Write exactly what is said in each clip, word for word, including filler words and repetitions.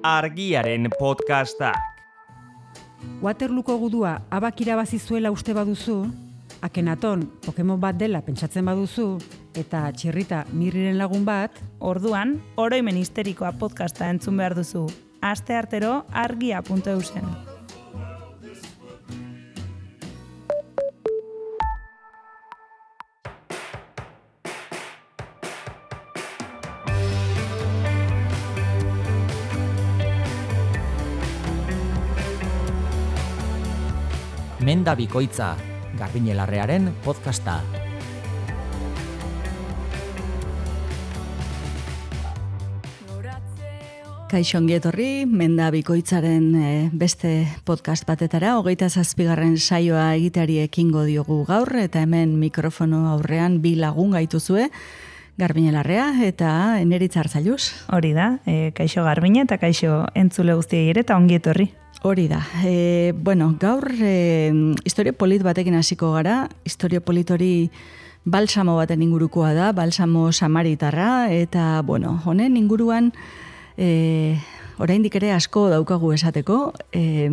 Argiaren podcastak. Waterlooko gudua abak irabazi zuela uste baduzu, Akenaton Pokemon bat dela pentsatzen baduzu, eta Txirrita Mirriren lagun bat, orduan, oroimen histerikoa podcasta entzun behar duzu. Aste artero argia puntu eusen. Menda bikoitza, Garbiñelarrearen podcasta. Kaixo ongi etorri, Menda bikoitzaren e, beste podcast batetara, hogeita zazpigarren saioa egiteari ekingo diogu gaur, eta hemen mikrofono aurrean bi lagun gaituzue, Garbiñelarrea eta Eneritz Arzailuz. Hori da, e, kaixo Garbiñe eta kaixo entzule guztiei ere eta ongi etorri. Hori da. E, bueno, gaur e, historia polit batekin hasiko gara. Historia polit hori balsamo baten ingurukoa da, balsamo samaritarra, eta bueno, honen inguruan e, oraindik ere asko daukagu esateko. E,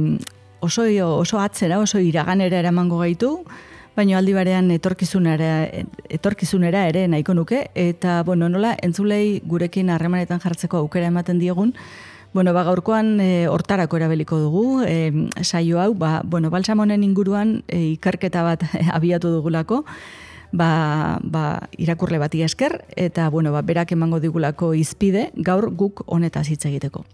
oso, oso atzera, oso iraganera eramango gaitu, baina aldi barean etorkizunera, etorkizunera ere nahiko nuke, eta bueno, nola entzulei gurekin harremanetan jartzeko aukera ematen diegun. Bueno, ba, gaurkoan e, hortarako erabiliko dugu, e, saio hau, ba, bueno, balsamonen inguruan e, ikerketa bat abiatu dugulako, ba, ba, irakurle bati esker, eta bueno, ba, berak emango digulako izpide, gaur guk honetaz hitz egiteko.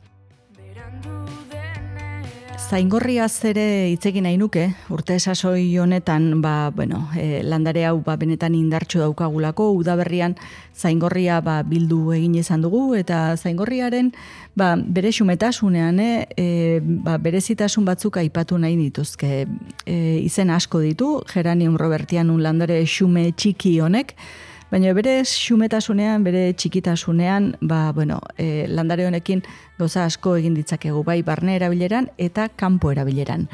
Zaingorriaz ere hitz egin nahi nuke, urte sasoi honetan, ba, bueno, e, landare hau ba, benetan indartsu daukagulako, udaberrian zaingorria ba, bildu egin izan dugu, eta zaingorriaren ba, bere xumetasunean e, ba, berezitasun batzuk aipatu nahi dituzke. E, izen asko ditu, Geranium robertianum landare xume txiki honek, baina bere xumetasunean, bere txikitasunean, ba, bueno, e, landare honekin gauza asko egin ditzakegu, bai barne erabileran eta kanpo erabileran.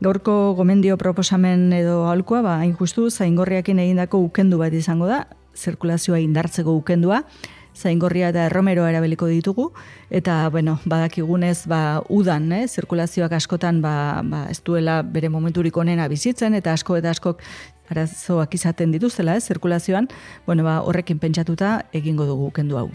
Gaurko gomendio proposamen edo aholkoa, ba, hain justu, zaingorriakin egindako ukendu bat izango da, zirkulazioa indartzeko ukendua, zaingorria eta erromeroa erabiliko ditugu, eta, bueno, badakigunez, ba, udan, eh, zirkulazioak askotan, ba, ba, ez duela bere momenturik onena bizitzen, eta asko eta askok arazoak izaten dituztela, eh, zirkulazioan, bueno, ba, horrekin pentsatuta egingo dugu kendu hau.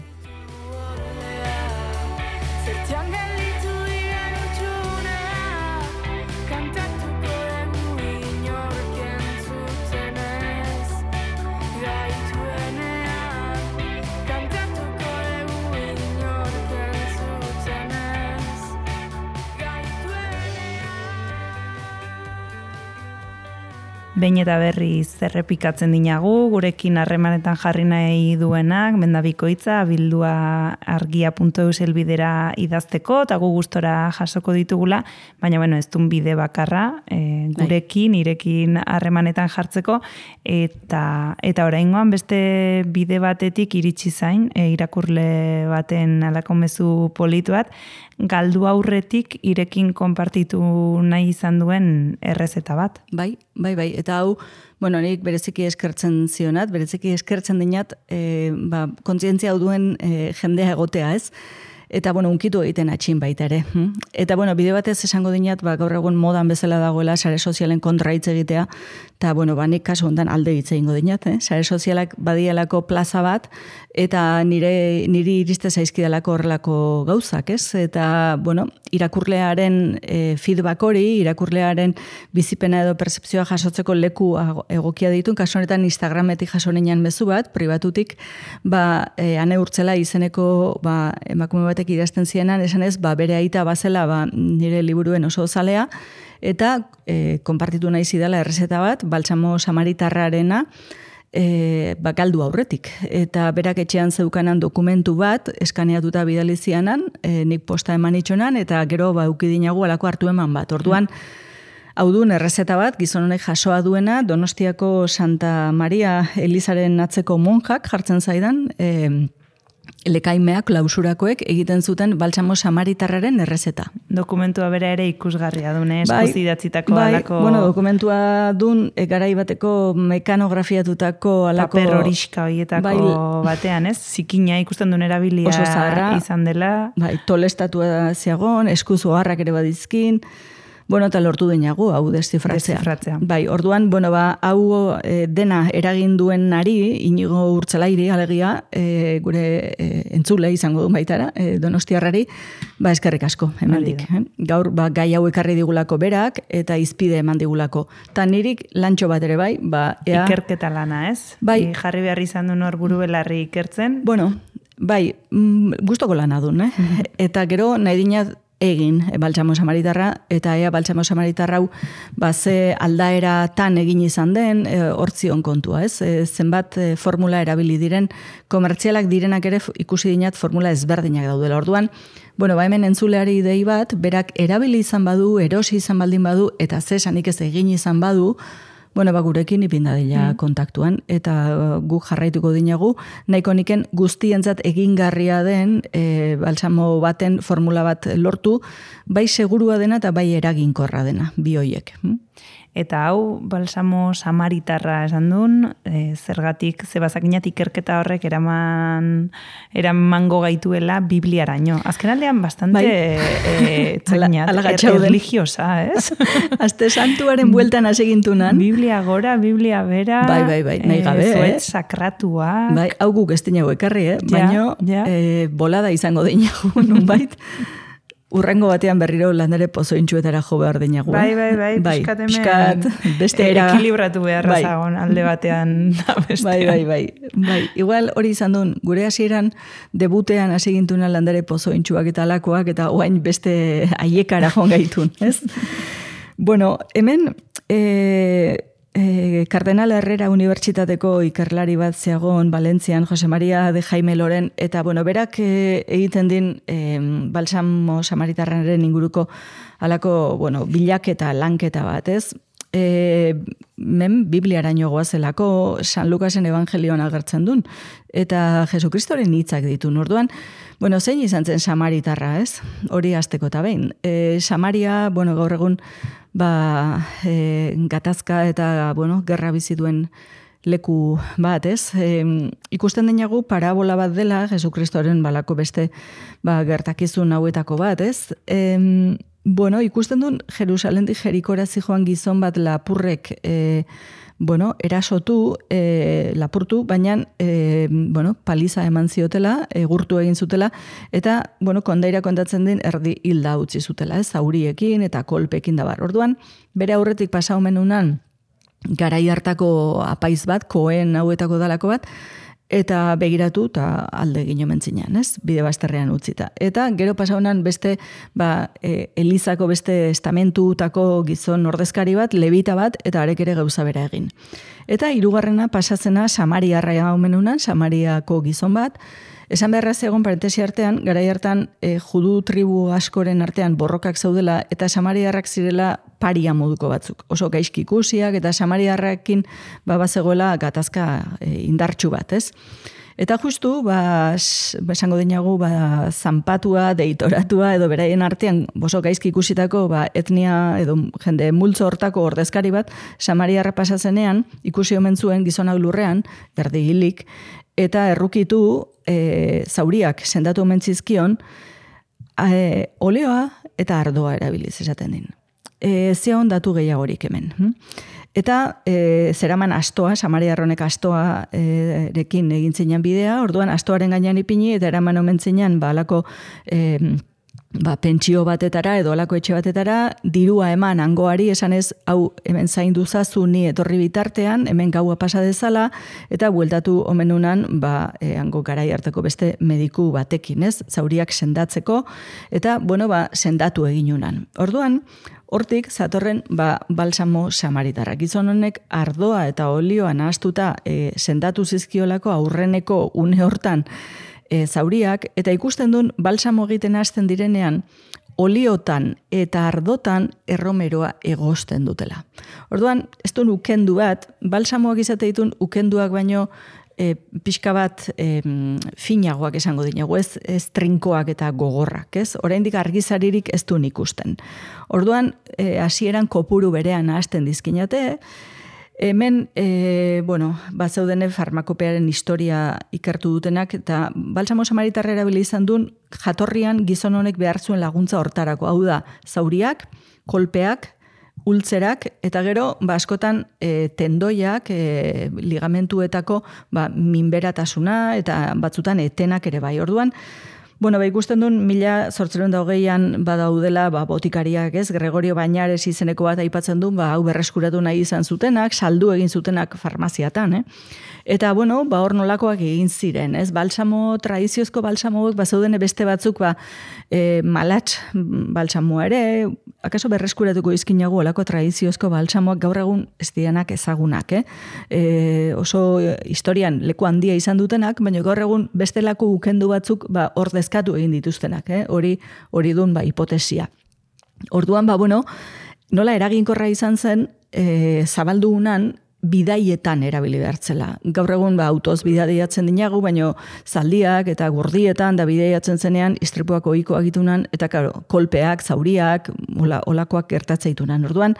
Behin eta berriz errepikatzen dinagu, gurekin harremanetan jarri nahi duenak, Menda bikoitza, bildua argia puntu eus helbidera idazteko, eta gu gustora jasoko ditugula, baina bueno, ez dun bide bakarra, e, gurekin, irekin harremanetan jartzeko, eta eta oraingoan beste bide batetik iritsi zain, e, irakurle baten halako mezu polit bat, galdu aurretik irekin konpartitu nahi izan duen errezeta bat. Bai, bai, bai. Eta hau, bueno, nik bereziki eskertzen zionat, bereziki eskertzen dinat, e, ba, kontzientzia hau duen e, jendea egotea, ez? Eta, bueno, unkitu egiten atxin baita ere. Eta, bueno, bide batez esango dinat, ba, gaur egun modan bezala dagoela sare sozialen kontra hitz egitea, eta, bueno, ba, nik kasu hontan alde hitz egingo dinat, eh? Sare sozialak badialako plaza bat, eta nire, niri iriste zaizkidalako horrelako gauzak, ez? Eta, bueno, irakurlearen e, feedback hori, irakurlearen bizipena edo percepzioa jasotzeko leku egokia ditun, kasu honetan Instagrametik jaso nian mezu bat, pribatutik, ba, e, Ane Urtzela izeneko, ba, emakume bat idazten zienan, esan ez, ba, bere aita bazela ba, nire liburuen oso zalea, eta e, konpartitu nahi zidala errezeta bat, balsamo samaritarrarena, e, ba, galdu aurretik. Eta berak etxean zeukanan dokumentu bat, eskaneatuta bidali zianan, e, nik posta eman itxonan, eta gero ba, ukidinagu alako hartu eman bat. Orduan, hau duen errezeta bat, gizon honek jasoa duena, Donostiako Santa Maria Elizaren atzeko monjak jartzen zaidan, e, lekaimeak, klausurakoek egiten zuten balsamo samaritarraren errezeta. Dokumentua bera ere ikusgarria dune, eskuz idatzitako bai, alako... Bueno, dokumentua dun, e, garai bateko mekanografiatutako alako... Paper horiska horietako bai, batean, ez? Zikina ikusten duen erabilia oso zaharra, izan dela. Bai, tolestatua ziagon, eskuz oharrak ere badizkin, bueno, eta lortu denagu, hau deszifratzea. Deszifratzea. Bai, orduan, bueno, ba, hau e, dena eragin duen nari, Inigo Urtzelairi, alegia, e, gure e, entzule izango du baitara, e, Donostiarrari, ba, eskerrik asko, hemendik. Eh? Gaur, ba, gai hau ekarri digulako berak, eta izpide eman digulako. Ta nirik lantxo bat ere bai, ba, ea... Ikerketa lana, ez? Bai. I jarri behar izan duen hor buru belarri ikertzen. Bueno, bai, mm, gustoko lana dun, eh? Mm-hmm. Eta gero, nahi dinat, egin baltsamo samaritarra, eta ea baltsamo samaritarra hau ba, ze aldaera tan egin izan den, e, hortzion kontua, ez? E, zenbat e, formula erabili diren, komertzialak direnak ere ikusi dinat formula ezberdinak daudela. Orduan, bueno, ba hemen entzuleari idei bat, berak erabili izan badu, erosi izan baldin badu, eta zesanik ez egin izan badu, bueno, ba, gurekin ipindadila mm. kontaktuan, eta uh, gu jarraituko dinagu, nahiko niken guztientzat egingarria den e, balsamo baten formula bat lortu, bai segurua dena eta bai eraginkorra dena, bi hoiek. Mm? Eta hau, balsamo samaritarra esan duen, e, zergatik, zebazakinat ikerketa horrek eraman, eramango gaituela Bibliaraino. Azken aldean bastante bai. e, txakinat, er, religiosa, ez? Azte santuaren bueltan asegintunan. Biblia gora, Biblia bera, bai, bai, bai, nahi gabe, e, zuet eh? sakratua. Bai, hau guk ez dinago ekarri, eh? Ja, baina ja. E, bolada izango dinago, nunbait. Urrengo batean berriro landare pozointxuetara jo behar dinagu. Bai, bai, bai, bai piskat piskat, beste era... Ekilibratu beharra bai. zagon, alde batean da bestean. Bai, bai, bai, bai. Igual hori izan duen, gure hasieran debutean hasi gintuna landare pozointxuak eta alakoak, eta oain beste aiekara joan gaitun, ez? Bueno, hemen... E... E, Cardenal Herrera Unibertsitateko ikerlari bat zeagon Valentzian, Jose Maria de Jaime Loren, eta bueno, berak e, egiten din e, balsamo samaritarraren inguruko alako, bueno, bilaketa, lanketa bat, ez? E, men Bibliaraino goazelako San Lukasen evangelioan agertzen duen, eta Jesukristoren hitzak ditu. Orduan, bueno, zein izan zen samaritarra, ez? Hori hasteko eta behin. E, Samaria, bueno, gaur egun, ba, e, gatazka eta, bueno, gerra bizi duen leku bat, ez? E, ikusten denagu parabola bat dela, Jesukristoren balako beste ba, gertakizun hauetako bat, ez? E, bueno, ikusten duen Jerusalendik Jerikora zijoan gizon bat lapurrek e, bueno, erasotu, e, lapurtu, baina e, bueno, paliza eman ziotela, egurtu egin zutela, eta bueno, kondaira kontatzen din erdi hilda utzi zutela, ez, zauriekin eta kolpekin da bar. Orduan, bere aurretik pasa omenunan garai hartako apaiz bat, koen hauetako dalako bat, eta begiratu eta alde egin omen zinean, ez? Bide bazterrean utzita. Eta gero pasaunan beste, ba, e, Elizako beste estamentutako gizon ordezkari bat, levita bat, eta arek ere gauza bera egin. Eta hirugarrena pasatzena Samariarra omenunan, Samariako gizon bat, esan beharra zegoen parentesi artean, garai hartan e, judu tribu askoren artean borrokak zaudela, eta Samariarrak zirela paria moduko batzuk. Oso gaizki ikusiak, eta Samariarrakin ba, bazegoela gatazka e, indartsu bat, ez? Eta justu, ba, esango dinagu, ba, zanpatua, deitoratua, edo beraien artean, oso gaizki ikusitako, ba, etnia, edo jende multzo hortako ordezkari bat, Samariarra pasazenean, ikusi omen zuen gizonak lurrean, erdi hilik, eta errukitu e, zauriak sendatu omen zizkion, e, oleoa eta ardoa erabiliz esaten din. E, Zion datu gehiagorik hemen. Eta e, zeraman astoa, Samariarronek astoa e, rekin egin zinean bidea, orduan astoaren gainean ipini, eta eraman omen zinean, ba, alako e, ba, pentsio batetara, edo alako etxe batetara, dirua eman hangoari, esanez, hau hemen zaindu zazu ni etorri bitartean, hemen gaua pasa dezala, eta bueltatu omenunan, ba, e, hango garai hartako beste mediku batekin, ez? Zauriak sendatzeko, eta, bueno, ba, sendatu eginunan. Orduan, hortik, zatorren, ba, balsamo samaritarra. Gizon honek ardoa eta olioa nahastuta e, sendatu zizkiolako aurreneko une hortan e, zauriak, eta ikusten duen balsamo egiten hasten direnean, oliotan eta ardotan erromeroa egosten dutela. Orduan, ez duen ukendu bat, balsamoak izate ditun ukenduak baino e, pixka bat e, finagoak esango dinago, ez, ez trinkoak eta gogorrak, ez? Oraindik argizaririk ez duen ikusten. Orduan, e, hasieran kopuru berean hasten dizkinate, hemen, e, bueno, bat zeudene farmakopearen historia ikertu dutenak, eta balsamo samaritarra erabili izan duen jatorrian gizon honek behar zuen laguntza hortarako. Hau da, zauriak, kolpeak, ultzerak, eta gero, ba, askotan e, tendoiak, e, ligamentuetako ba, minberatasuna, eta batzutan etenak ere bai. Orduan, bueno, ba, ikusten duen, mila zortziehun eta hogeian badaudela ba, botikariak, ez? Gregorio Bañares izeneko bat aipatzen du, ba, hau berreskuratu nahi izan zutenak, saldu egin zutenak farmaziatan, eh? Eta, bueno, ba, hor nolakoak egin ziren, ez? Balsamo, tradiziozko balsamoek, ba, zeuden beste batzuk, ba, e, malatx balsamoa ere, akaso berreskuratuko izkinago olako tradiziozko balsamoak gaur egun ez dianak ezagunak, eh? E, oso historian leku handia izan dutenak, baina gaur egun bestelako ukendu batzuk, ba, hor dezkatu egin dituztenak, eh? Hori, hori dun, ba, hipotesia. Orduan, ba, bueno, nola eraginkorra izan zen, e, zabaldu unan, bidaietan erabili behartzela. Gaur egun ba, autoz bidaiatzen dinagu, baino zaldiak eta gurdietan da bidaiatzen zenean istripuak ohikoak itunan, eta karo, kolpeak, zauriak, ola, olakoak gertatzeitunan. Orduan,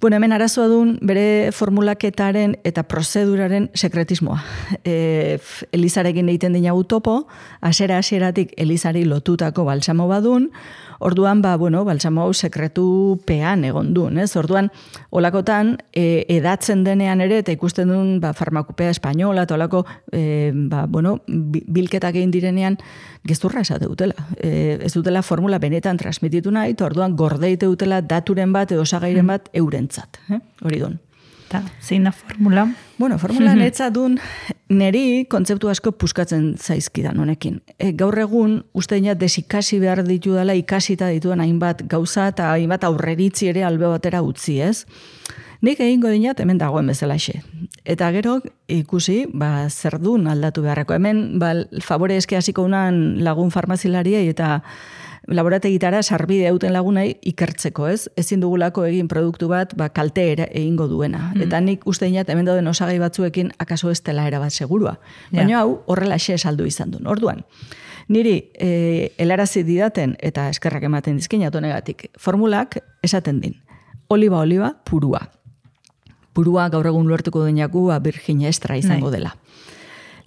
bueno, hemen arazoa duen bere formulaketaren eta prozeduraren sekretismoa. E, Elizarekin egiten dinagu topo, hasiera-hasieratik Elizari lotutako balsamo badun, orduan, ba, bueno, balsamo hau sekretupean egon duen, ez? Orduan, olakotan, e, edatzen denean ere, eta ikusten duen, ba, farmakopea espainola, eta olako, e, ba, bueno, bilketak egin direnean, gezurra esate dutela. E, ez dutela formula benetan transmititu nahi, eta orduan, gordeite dutela daturen bat, edo osagairen bat, eurentzat. Eh? Hori duen. Eta, zein da formula? Bueno, formula netza dun, neri kontzeptu asko puskatzen zaizkidan honekin. E, gaur egun, uste dina desikasi behar ditu dela, ikasita dituen hainbat gauza eta hainbat aurreritzi ere albe batera utzi, ez? Nik egingo dinat hemen dagoen bezalaxe. Eta gero ikusi, ba, zer dun aldatu beharreko. Hemen, ba, favore eske hasiko unan lagun farmazilariei eta laborategitara sarbide hauten lagunai ikertzeko, ez? Ezin dugulako egin produktu bat, ba, kalte egingo duena. Mm. Eta nik uste dinat, hemen dauden osagai batzuekin akaso ez dela erabat segurua. Baina yeah. hau, horrela xe saldu izan duen. Orduan, niri e, helarazi didaten, eta eskerrak ematen dizkinat honegatik, formulak esaten din. Oliba-oliba purua. Purua gaur egun lortuko duenaku, ba, Virginia Extra izango dela.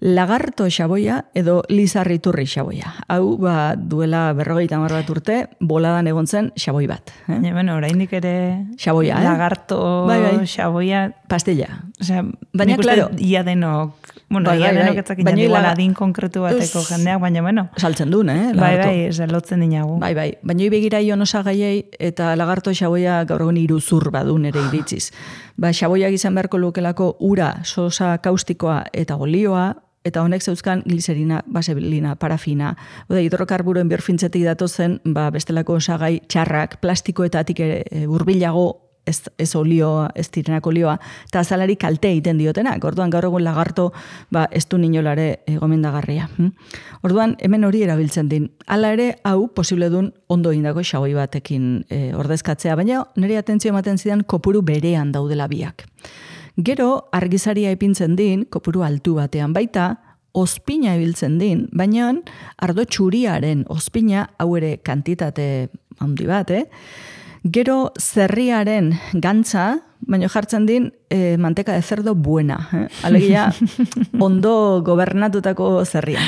Lagarto xaboia edo lizarriturri xaboia. Hau, ba, duela berrogeita hamar bat urte, boladan egon zen xaboi bat. Eh? Ja, bueno, oraindik ere xaboia, eh? Lagarto bai, bai. Xaboia... Pastilla. Osea, baina, klaro... Ia denok... Bueno, bai, ia bai, denok etzakin jadi igual adin konkretu bateko jendeak, baina, bueno... Saltzen duen, eh? Lagarto. Bai, bai, zelotzen dinagu. Bai, bai. Baina ibegira ion osagaiei eta lagarto xaboia gaur egun iruzur badun ere iritziz. Ba, xaboiak izan beharko lukelako ura, sosa kaustikoa eta olioa, eta honek zeuzkan gliserina, baselina, parafina, oda, hidrokarburoen birfintzetik datozen, ba, bestelako osagai txarrak, plastikoetatik e, urbilago, ez, ez olioa, ez direnak olioa, eta azalari kalte egiten diotenak. Orduan, gaur egun lagarto, ba, ez du ninolare e, gomendagarria. Hm? Orduan, hemen hori erabiltzen din. Hala ere, hau, posible dun ondo egindako xaboi batekin e, ordezkatzea, baina nire atentzio ematen zidan kopuru berean daudela biak. Gero, argizaria epintzen din, kopuru altu batean baita, ospina ibiltzen din, baina ardo txuriaren ospina, hau ere kantitate handi bat, eh? Gero, zerriaren gantza, baina jartzen din, eh, manteka de cerdo buena. Eh? Alegia, ondo gobernatutako zerria.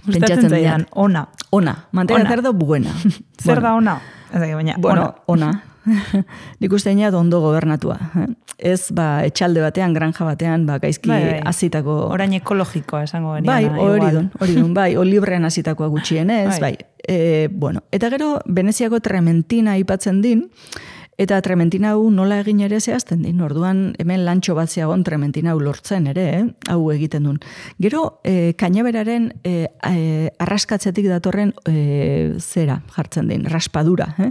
Gustatzen zaidan, ona. Ona, manteka de cerdo buena. Zer da ona? Baina, bueno, ona. Nik uste dina ondo gobernatua. Eh? Ez, ba, etxalde batean, granja batean, ba, gaizki bai, bai. azitako... Orain ekologikoa esango geniana. Bai, hori dun, hori dun, bai, olibrean azitakoa gutxienez, bai. bai. E, bueno, eta gero, Veneziako trementina aipatzen din, eta trementina hau nola egin ere zehazten din. Orduan, hemen lantxo bat zeagon trementina hau lortzen ere, eh? hau egiten dun. Gero, e, kainaberaren e, e, arraskatzetik datorren e, zera jartzen din, raspadura, eh?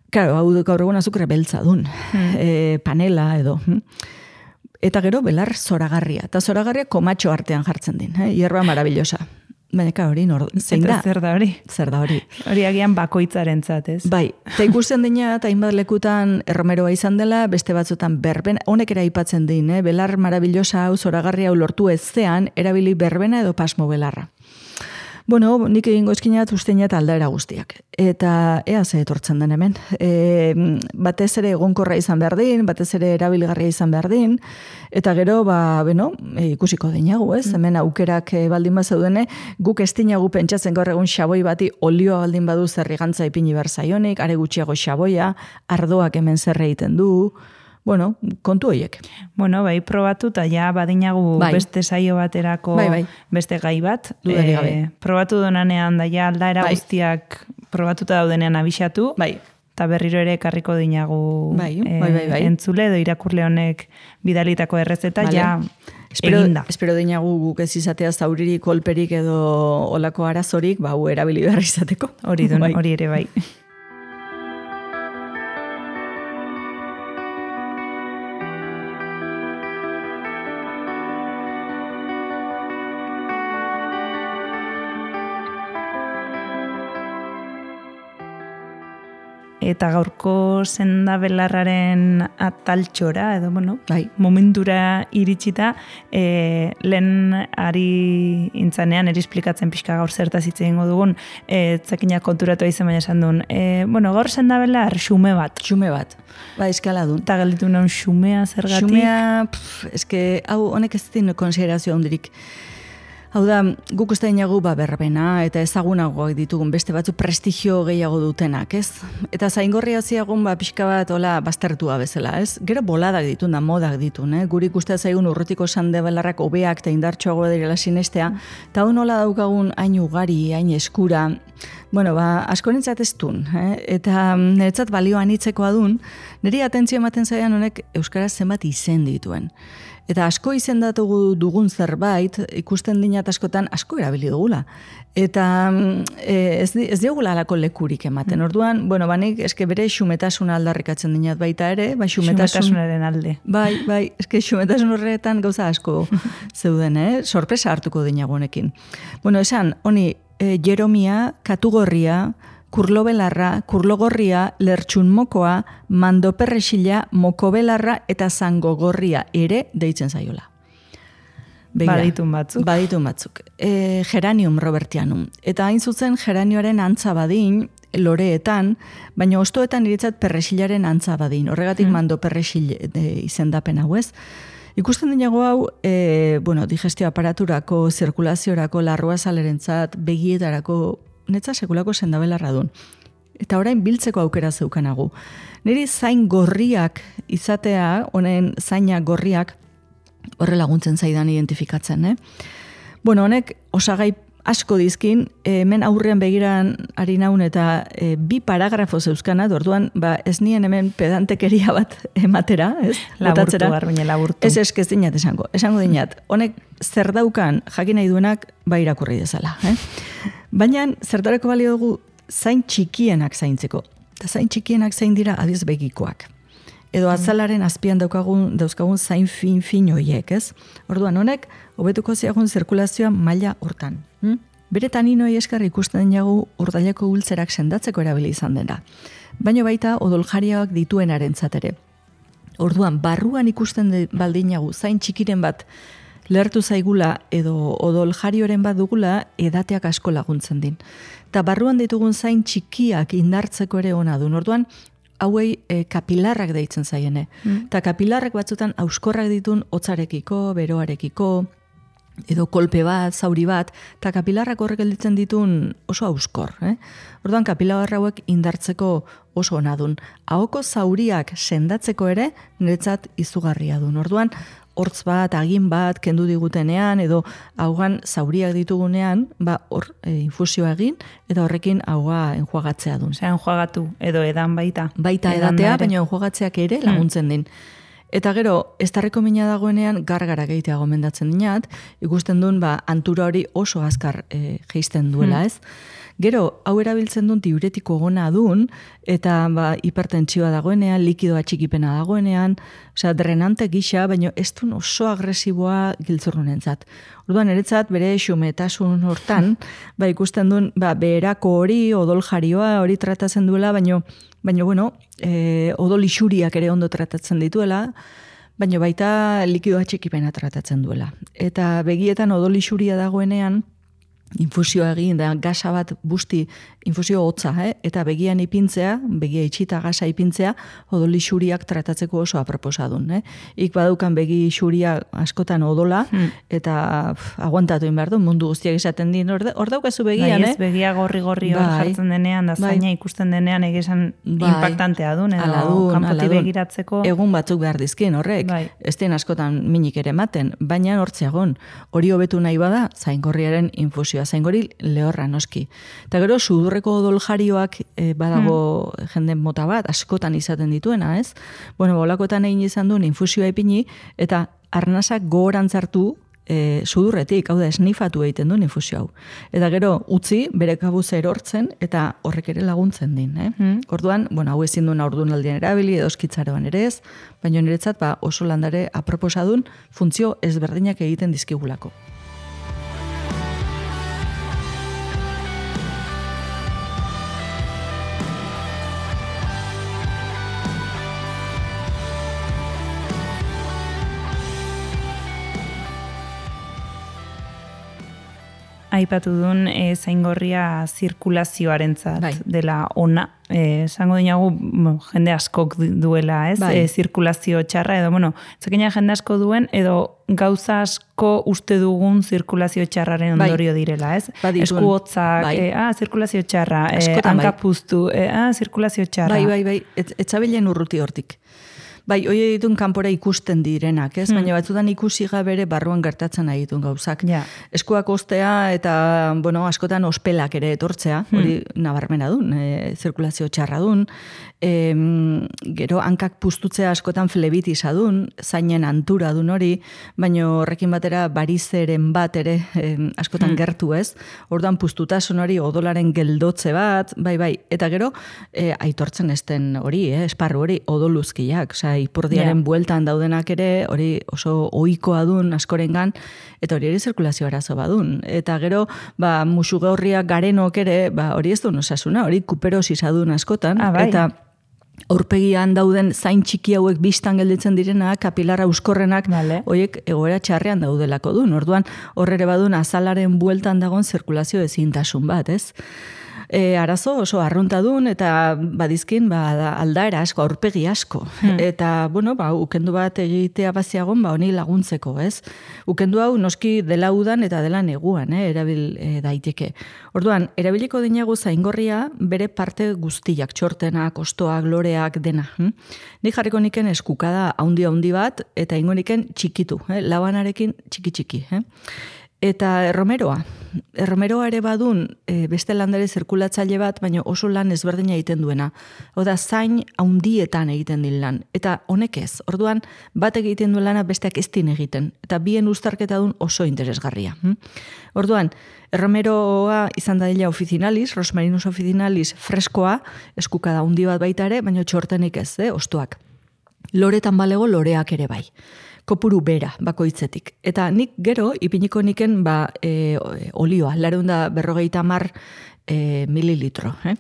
Claro, hau gaur egun azukre beltza dun, hmm. e, panela edo. Eta gero belar zoragarria. Eta zoragarria komatxo artean jartzen din, eh? Hierba maravillosa. baina hori nor, zein da? Zer da hori? Zer da hori? Hori agian bakoitzaren ez? Bai, eta ikusten dina, eta hainbat lekutan erromeroa izan dela, beste batzutan berben, honek ere aipatzen din, eh? Belar marabillosa hau, zoragarri hau lortu ezean, erabili berbena edo pasmo belarra. Bueno, nik egingo eskinat usteinat aldaera guztiak. Eta ea ze etortzen den hemen. E, batez ere egonkorra izan behar din, batez ere erabilgarria izan behar din, eta gero, ba, beno, e, ikusiko dinagu, ez? Hemen aukerak e, baldin bat zaudene, guk ez dinagu pentsatzen gaur egun xaboi bati olioa baldin badu zerrigantza ipini behar zaionik, are gutxiago xaboia, ardoak hemen zer egiten du, bueno, kontu horiek. Bueno, bai, probatu, eta ja badinagu bai. Beste saio baterako bai, bai. Beste gai bat. Dudarik gabe. E, probatu donanean, da ja aldaera bai. Guztiak probatuta daudenean abixatu. Bai. Eta berriro ere karriko dinagu bai, bai, bai, bai. E, entzule edo irakurle honek bidalitako errezeta, vale. Ja espero, eginda. Espero dinagu guk ez izatea zauririk, kolperik edo olako arazorik, ba, hu erabili behar izateko. Hori dun, hori ere bai. Eta gaurko sendabelarraren ataltxora, edo, bueno, bai. Momentura iritsita, e, lehen ari intzanean, eri esplikatzen pixka gaur zertaz hitz egingo dugun, e, zakinak konturatu izan baina esan duen. E, bueno, gaur sendabelar xume bat. Xume bat, ba, eskala dun. Eta gelditu naun xumea zergatik? Xumea, pff, eske, hau, honek ez din konsiderazio handirik. Hau da, guk uste dinagu ba berbena eta ezagunagoak ditugun beste batzu prestigio gehiago dutenak, ez? Eta zaingorria ziagun ba pixka bat hola baztertua bezala, ez? Gero boladak ditun da, modak ditun, eh? Guri ikuste zaigun urrutiko sandebelarrak hobeak eta indartsuago direla sinestea, eta hau nola daukagun hain ugari, hain eskura, bueno, ba, asko nintzat ez dun, eh? Eta niretzat balioan hitzekoa dun, niri atentzio ematen zaian honek euskaraz zenbat izen dituen. Eta asko izendatu dugun zerbait, ikusten dinat askotan asko erabili dugula. Eta e, ez, ez diogula alako lekurik ematen. Orduan, bueno, banik eske bere xumetasuna aldarrikatzen dinat baita ere. Ba, xumetasun, xumetasunaren alde. Bai, bai, eske xumetasun horretan gauza asko zeuden, eh? Sorpresa hartuko dinago honekin. Bueno, esan, honi, e, jeromia, katugorria, kurlobelarra, kurlogorria, lertxunmokoa, mandoperresila, mokobelarra eta zangogorria ere deitzen zaiola. Begira, baditun batzuk. Baditun batzuk. E, geranium robertianum. Eta hain zuzen geranioaren antza badin, loreetan, baina ostoetan iritzat perresilaren antza badin. Horregatik hmm. mandoperresil e, izendapen hau ez. Ikusten dinago hau, e, bueno, digestio aparaturako, zirkulaziorako, larruazalerentzat, begietarako, netza sekulako sendabelarra dun. Eta orain biltzeko aukera zeukanagu. Niri zain gorriak izatea, honen zaina gorriak, horre laguntzen zaidan identifikatzen, eh? Bueno, honek osagai asko dizkin, hemen aurrean begiran ari naun eta e, bi paragrafo zeuzkana, orduan ba, ez nien hemen pedantekeria bat ematera, ez? Laburtu, garbine, laburtu. Ez esk ez dinat esango, esango dinat. Honek zer daukan jakin nahi duenak ba irakurri dezala, eh? Baina zertarako balio dugu zain txikienak zaintzeko. Eta zain txikienak zain dira adiz begikoak. Edo azalaren azpian daukagun, dauzkagun zain fin-fin hoiek, ez? Orduan honek, hobetuko ziagun zirkulazioa maila hortan. Hm? Bere taninoi eskar ikusten dinagu urdaileko ultzerak sendatzeko erabili izan dena. Baina baita odoljariak dituenaren zatere. Orduan, barruan ikusten baldinagu zain txikiren bat lertu zaigula edo odoljarioren bat dugula edateak asko laguntzen din. Eta barruan ditugun zain txikiak indartzeko ere ona du. Orduan, hauei e, kapilarrak deitzen zaiene. Eta mm. kapilarrak batzutan auskorrak ditun hotzarekiko, beroarekiko, edo kolpe bat, zauri bat, eta kapilarrak horrek gelditzen ditun oso auskor. Eh? Orduan, kapilar hauek indartzeko oso ona dun. Ahoko zauriak sendatzeko ere niretzat izugarria dun. Orduan, hortz bat, agin bat, kendu digutenean, edo haugan zauriak ditugunean, ba, hor e, infusioa egin, eta horrekin haua enjuagatzea dun. Osea, enjuagatu, edo edan baita. Baita edatea, baina enjuagatzeak ere laguntzen din. Eta gero, ez tarreko mina dagoenean, gargara gehitea gomendatzen dinat, ikusten duen, ba, antura hori oso azkar e, geisten duela, ez? Gero, hau erabiltzen duen diuretiko gona dun, eta ba, hipertentsioa dagoenean, likidoa txikipena dagoenean, osea, drenante gisa, baina ez duen oso agresiboa giltzurrunentzat. Orduan, niretzat bere xumetasun hortan, ba, ikusten duen, ba, beherako hori, odol jarioa, hori tratatzen duela, baino, baino bueno, e, odol isuriak ere ondo tratatzen dituela, baino baita likidoa txikipena tratatzen duela. Eta begietan odol isuria dagoenean, infusioa egin da gasa bat busti infusio hotza, eh? Eta begian ipintzea, begia itxita gasa ipintzea, odol isuriak tratatzeko oso aproposadun. Eh? Ik badaukan begi isuria askotan odola, hmm. eta pff, aguantatu behar du, mundu guztiak esaten din, hor, hor daukazu begian, bai, ez, eh? begia gorri-gorri hor bai, jartzen denean, da zaina bai, ikusten denean egizan bai, impactantea duen, edo aladun, kanpotik aladun, begiratzeko. Egun batzuk behar dizkin horrek, bai, ez den askotan minik ere ematen, baina hortzeagon, hori hobetu nahi bada, zaingorriaren infusio zaingori lehorra noski. Eta gero, sudurreko odol jarioak e, badago hmm. jenden mota bat, askotan izaten dituena, ez? Bueno, bolakoetan egin izan duen infusioa ipini, eta arnasak gogoran zartu e, sudurretik, hau da, esnifatu egiten duen infusio hau. Eta gero, utzi, bere kabuz erortzen, eta horrek ere laguntzen din. Eh? Hmm. Orduan, bueno, hau ezin duen aurdunaldian erabili, edo eskitzaroan ere ez, baina niretzat, ba, oso landare aproposadun funtzio ezberdinak egiten dizkigulako. Aipatu duen e, zaingorria zirkulazioarentzat bai, dela ona. E, esango dinagu, bueno, jende askok duela, ez? Bai. E, zirkulazio txarra, edo, bueno, zekina jende asko duen, edo gauza asko uste dugun zirkulazio txarraren ondorio bai, direla, ez? Baditun. Esku hotzak, bai, e, ah, zirkulazio txarra, e, hankapuztu, e, ah, zirkulazio txarra. Bai, bai, bai, etzabilen urruti hortik. Bai, hoi ditun kanpora ikusten direnak, ez? Hmm. Baina batzutan ikusi gabere barruan gertatzen nahi ditun gauzak. Ja. Eskuak ostea eta, bueno, askotan ospelak ere etortzea, hori hmm. nabarmena dun, e, zirkulazio txarra dun, e, gero hankak puztutzea askotan flebitisa dun, zainen antura dun hori, baina horrekin batera barizeren bat ere e, askotan hmm. gertu, ez? Orduan puztutasun hori odolaren geldotze bat, bai, bai, eta gero e, aitortzen esten hori, eh, esparru hori odoluzkiak, oza, ipurdiaren yeah. bueltan daudenak ere, hori oso ohikoa dun askorengan, eta hori ere zirkulazio arazo badun. Eta gero, ba, musu gaurriak garenok ere, ba, hori ez duen osasuna, hori kuperosis adun askotan, ah, bai. Eta aurpegian dauden zain txiki hauek bistan gelditzen direnak, kapilarra euskorrenak, vale. Horiek egoera txarrean daudelako dun. Orduan, horre badun azalaren bueltan dagoen zirkulazio ezintasun bat, ez? E, arazo oso arruntadun eta badizkin ba, aldaera asko, aurpegi asko. Hmm. Eta, bueno, ba, ukendu bat egitea baziagon, ba, honi laguntzeko, ez? Ukendu hau noski dela udan eta dela neguan, eh, erabil e, daiteke. Orduan, erabiliko dinagu zaingorria bere parte guztiak, txortenak, ostoak, loreak, dena. Hm? Nik jarriko niken eskukada haundi-haundi bat, eta ingo niken txikitu, eh? Labanarekin txiki-txiki. Eh? Eta erromeroa. Erromeroa ere badun e, beste landare zirkulatzaile bat, baina oso lan ezberdina egiten duena. Oda, zain haundietan egiten din lan. Eta honek ez. Orduan, bat egiten duen lana besteak ez din egiten. Eta bien uztarketa dun oso interesgarria. Hm? Orduan, erromeroa izan da dela officinalis, Rosmarinus officinalis freskoa, eskukada haundi bat baita ere, baina txortenik ez, eh, ostoak. Loretan balego loreak ere bai. Kopuru bera, bakoitzetik. Eta nik gero, ipiniko niken ba, e, olioa, lareunda berrogeita mar e, mililitro. Eh?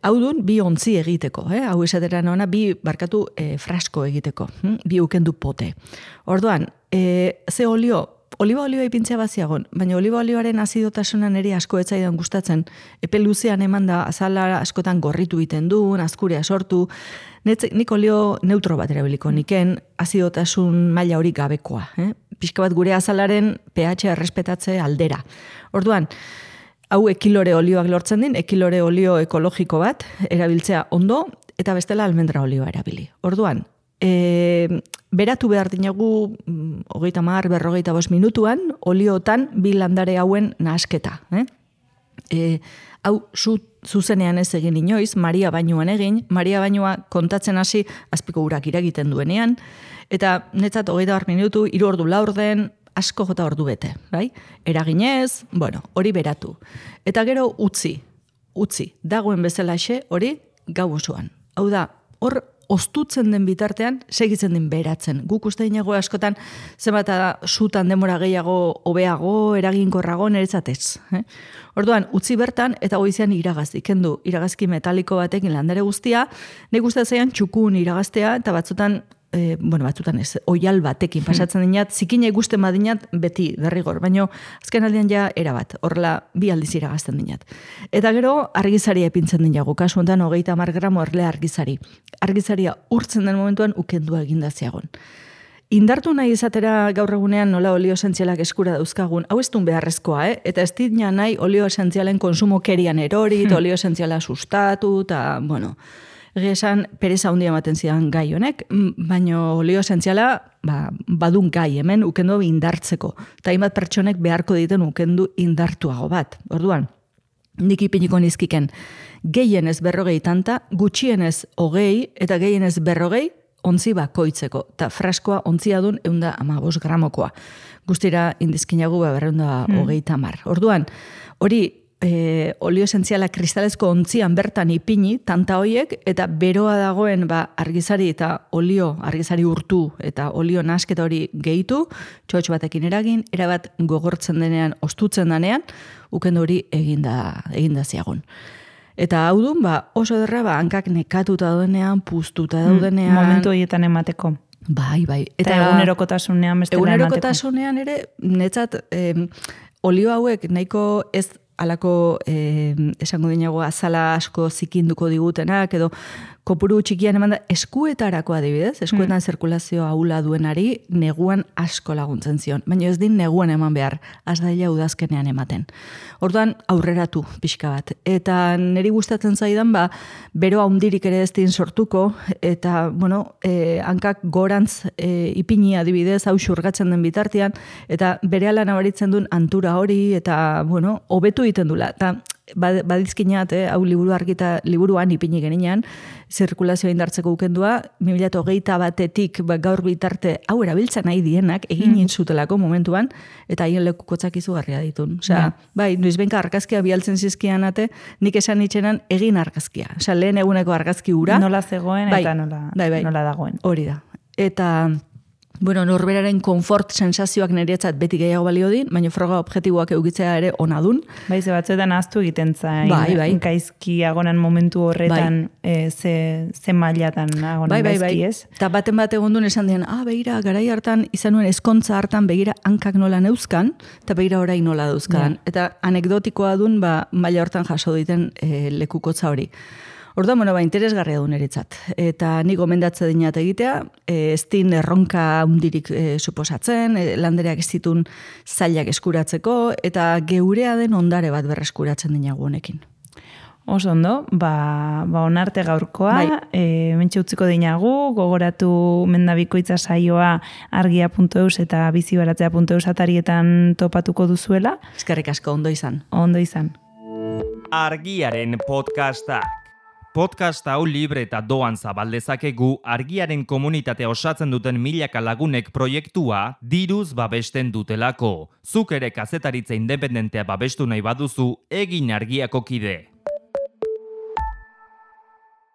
Hau dun, bi ontzi egiteko. Eh? Hau esateran ona, bi barkatu e, frasko egiteko. Hm? Bi ukendu pote. Orduan, e, ze olio, oliba olioa ipintzea baziagon, baina oliba olioaren azidotasunan ere asko etzaidan gustatzen, epe luzean eman da azala askotan gorritu iten du, azkurea sortu, nik olio neutro bat erabiliko niken, azidotasun maila hori gabekoa. Eh? Pixka bat gure azalaren pH errespetatze aldera. Orduan, hau ekilore olioak lortzen din, ekilore olio ekologiko bat, erabiltzea ondo, eta bestela almendra olioa erabili. Orduan, e, beratu behar dinagu, hogeita mar, berrogeita bost minutuan, oliotan bi landare hauen nahasketa. Eh? E, hau, zu, zuzenean ez egin inoiz, Maria bainuan egin, Maria bainua kontatzen hasi azpiko urak iragiten duenean, eta netzat hogeita bar minutu, hiru ordu laurden, asko jota ordu bete, bai? Eraginez, bueno, hori beratu. Eta gero utzi, utzi, dagoen bezalaxe hori gau osoan. Hau da, hor ostutzen den bitartean, segitzen den beratzen. Guk uste dinago askotan, zenbat sutan demora gehiago, hobeago, eraginkorrago, niretzatez. Eh? Orduan, utzi bertan, eta goizean iragazti, kendu, iragazki metaliko batekin landare guztia, nik uste zeian txukun iragaztea, eta batzutan, E, bueno, batzutan ez, oial batekin pasatzen dinat, zikina ikusten badinat beti derrigor, baino azken aldean ja erabat, horrela bi aldiz iragazten dinat. Eta gero argizaria epintzen dinago, kasu honetan hogeita hamar gramo erle argizari. Argizaria urtzen den momentuan ukendua eginda ziagon. Indartu nahi izatera gaur egunean nola olio esentzialak eskura dauzkagun, hau ez duen beharrezkoa, eh? Eta ez dina nahi olio esentzialen konsumo kerian erori, hmm. olio esentziala sustatu, eta, bueno, egia esan, pereza handia ematen zidan gai honek, baina olio esentziala ba, badun gai hemen ukendu indartzeko. Eta hainbat pertsonek beharko diten ukendu indartuago bat. Orduan, nik ipiniko nizkiken, gehienez berrogei tanta, gutxienez hogei, eta gehienez berrogei, ontzi bakoitzeko. Eta fraskoa ontzia dun eunda amabos gramokoa. Guztira indizkinagu berreunda hmm. hogei tamar. Orduan, hori, E, olio esentziala kristalezko ontzian bertan ipini, tanta hoiek, eta beroa dagoen ba, argizari eta olio, argizari urtu eta olio nasketa hori gehitu, txotx batekin eragin, erabat gogortzen denean, ostutzen denean, ukendu hori eginda, eginda ziagun. Eta hau dun, ba, oso derra, ba, hankak nekatuta daudenean, puztuta daudenean. Mm, momentu horietan emateko. Bai, bai. Eta, eta egunerokotasunean bestela emateko. Egunerokotasunean ere, netzat, eh, olio hauek nahiko ez alako, eh, esango dinago, azala asko zikinduko digutenak, edo kopuru txikian eman da, eskuetarako adibidez, eskuetan mm. zirkulazioa ahula duenari, neguan asko laguntzen zion. Baina ez din neguan eman behar, az daila udazkenean ematen. Orduan, aurreratu pixka bat. Eta niri gustatzen zaidan, ba, bero handirik ere ez din sortuko, eta, bueno, eh, hankak gorantz eh, ipini adibidez, hau xurgatzen den bitartean, eta berehala nabaritzen duen antura hori, eta, bueno, hobetu egiten dula. Eta, badizkinat, eh, hau liburu argita, liburuan ipini geninean, zirkulazioa indartzeko ukendua, bi mila hogeita batetik ba, gaur bitarte hau erabiltzen nahi dienak, egin mm. zutelako momentuan, eta haien lekukotzak izugarria ditun. Osea, yeah. bai, noiz benka argazkia bialtzen zizkian ate, nik esan itxenan egin argazkia. Osea, lehen eguneko argazki ura. Nola zegoen bai, eta nola, bai, bai, nola dagoen. Hori da. Eta bueno, norberaren konfort sensazioak niretzat beti gehiago balio din, baina froga objektiboak eukitzea ere ona dun. Bai, ze batzuetan ahaztu egiten zain. Bai, bai. Gaizki agonan momentu horretan bai. e, ze, ze mailatan agonan bai, bai, gaizki bai. ez. Eta baten bat egon duen esan dian, ah, begira, garai hartan, izan nuen eskontza hartan, begira, hankak nola neuzkan, eta begira orain nola dauzkan. Ja. Eta anekdotikoa dun, ba, maila hortan jaso diten e, lekukotza hori. Orduan, bueno, ba, interesgarria du niretzat. Eta ni gomendatze dinat egitea, e, ez din erronka hundirik e, suposatzen, e, landereak ez ditun zailak eskuratzeko, eta geurea den ondare bat berreskuratzen dinagu honekin. Oso ondo, ba, ba onarte gaurkoa, bai. e, mentxe utziko dinagu, gogoratu mendabikoitza saioa argia puntu eus eta bizibaratzea puntu eus atarietan topatuko duzuela. Eskerrik asko, ondo izan. Ondo izan. Argiaren podcasta. Podcast hau libre eta doan zabaldezakegu argiaren komunitatea osatzen duten milaka lagunek proiektua diruz babesten dutelako. Zuk ere kazetaritza independentea babestu nahi baduzu, egin argiako kide.